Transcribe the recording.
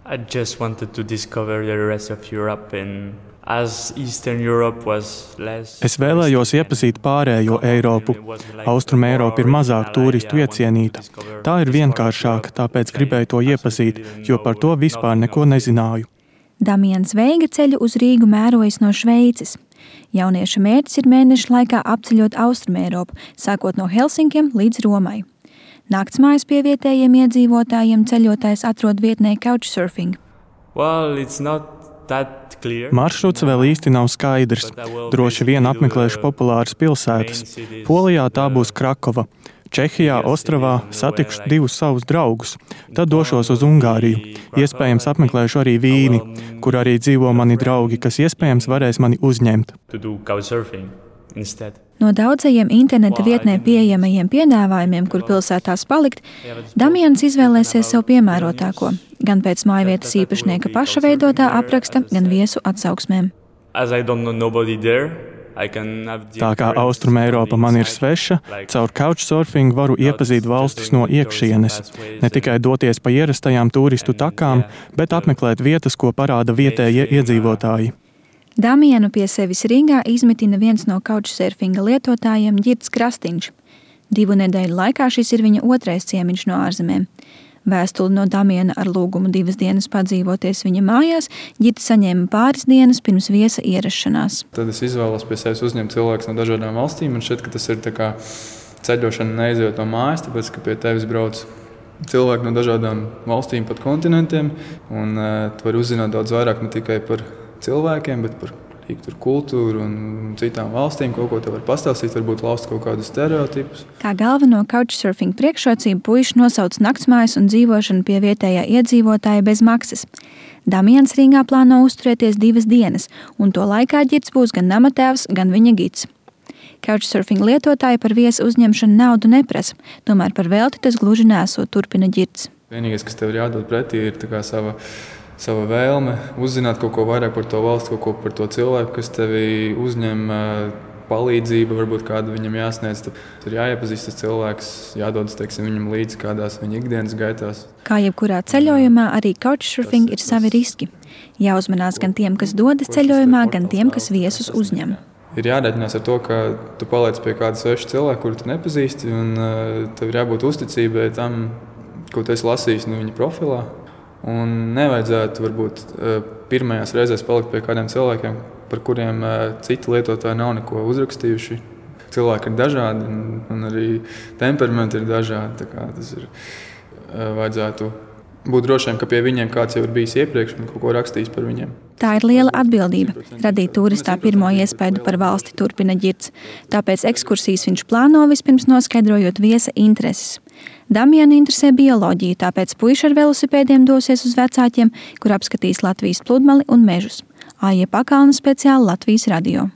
I just wanted to discover the rest of Europe and as Eastern Europe was less. Es vēlējos iepazīt pārējo Eiropu. Austrum Eiropa ir mazāk turistu iecienīta. Tā ir vienkāršāka, tāpēc gribēju to iepazīt, jo par to vispār neko nezināju. Damians Veiga ceļu uz Rīgu mērojas no Šveices. Jaunieša mērķis ir mēnešu laikā apceļot Austrum Eiropu, sākot no Helsinkiem līdz Romai. Naktsmājas pie vietējiem iedzīvotājiem ceļotājs atrod vietnē Couchsurfing. Well, it's not that clear. Maršruts vēl īsti nav skaidrs. Droši vien apmeklēšu populāras pilsētas. Polijā tā būs Krakova. Čehijā, Ostravā satikšu 2 savus draugus. Tad došos uz Ungāriju. Iespējams apmeklēšu arī Vīni, kur arī dzīvo mani draugi, kas iespējams varēs mani uzņemt. No daudzajiem interneta vietnē pieejamajiem piedāvājumiem, kur pilsētās palikt, Damians izvēlēsies sev piemērotāko, gan pēc mājvietas īpašnieka paša veidotā apraksta, gan viesu atsauksmēm. Tā kā Austrum Eiropa man ir sveša, caur Couchsurfing varu iepazīt valstis no iekšienes. Ne tikai doties pa ierastajām turistu takām, bet apmeklēt vietas, ko parāda vietējie iedzīvotāji. Damianu pie sevis Rīgā izmitina viens no Couchsurfinga lietotājiem Ģirds Krastīņš. 2 nedēļu laikā šis ir viņa 2. ciemiņš no ārzemēm. Vēstuli no Damiana ar lūgumu 2 dienas padzīvoties viņa mājās Ģirds saņēma pāris dienas pirms viesa ierašanās. Tad es izvēlos pie sevis uzņemt cilvēkus no dažādām valstīm, un šķiet, ka tas ir tā kā ceļošana neizejot no mājas, tāpēc, ka pie tevis brauc cilvēki no dažādām valstīm, pat kontinentiem, un tu vari uzzināt daudz vairāk ne tikai par cilvēkiem, bet par kultūru un citām valstīm, kaut ko te var pastāstīt, varbūt laust kaut kādus stereotipus. Kā galveno Couchsurfing priekšrocību puiši nosauc naktsmājas un dzīvošanu pie vietējā iedzīvotāja bez maksas. Damians Rīgā plāno uzturēties 2 dienas, un to laikā Ģirds būs gan namatēvs, gan viņa gids. Couchsurfing lietotāji par viesu uzņemšanu naudu neprasa, tomēr par velti tas gluži nesot, turpina Ģirds. Vienīgais, kas tev ir jādod pretī, ir tā kā sava vēlme uzzināt kaut ko vairāk par to valsti, kaut ko par to cilvēku, kas tevi uzņem, palīdzība, varbūt kāda viņam jāsniedz. Tad ir jāiepazīst tas cilvēks, jādodas viņam līdzi kādās viņa ikdienas gaitās. Kā jebkurā ceļojumā, arī Couchsurfing ir savi riski. Jāuzmanās gan tiem, kas dodas ceļojumā, gan tiem, kas viesus uzņem. Ir jārēķinās ar to, ka tu paliec pie kāda sveša cilvēka, kuru tu nepazīsti, un tev ir jābūt uzticībai tam, ko tu esi lasījis no viņa profilā. Un nevajadzētu varbūt pirmajās reizēs palikt pie kādiem cilvēkiem, par kuriem citi lietotāji nav neko uzrakstījuši. Cilvēki ir dažādi un arī temperamenti ir dažādi. Tā kā tas ir, vajadzētu būt drošiem, ka pie viņiem kāds jau ir bijis iepriekš un kaut ko rakstījis par viņiem. Tā ir liela atbildība – radīt turistā pirmo iespaidu par valsti, turpina Ģirds. Tāpēc ekskursijas viņš plāno vispirms noskaidrojot viesa intereses. Damianu interesē bioloģija, tāpēc puiši ar velosipēdiem dosies uz Vecāķiem, kur apskatīs Latvijas pludmali un mežus. Aija Pakalna speciāli Latvijas radio.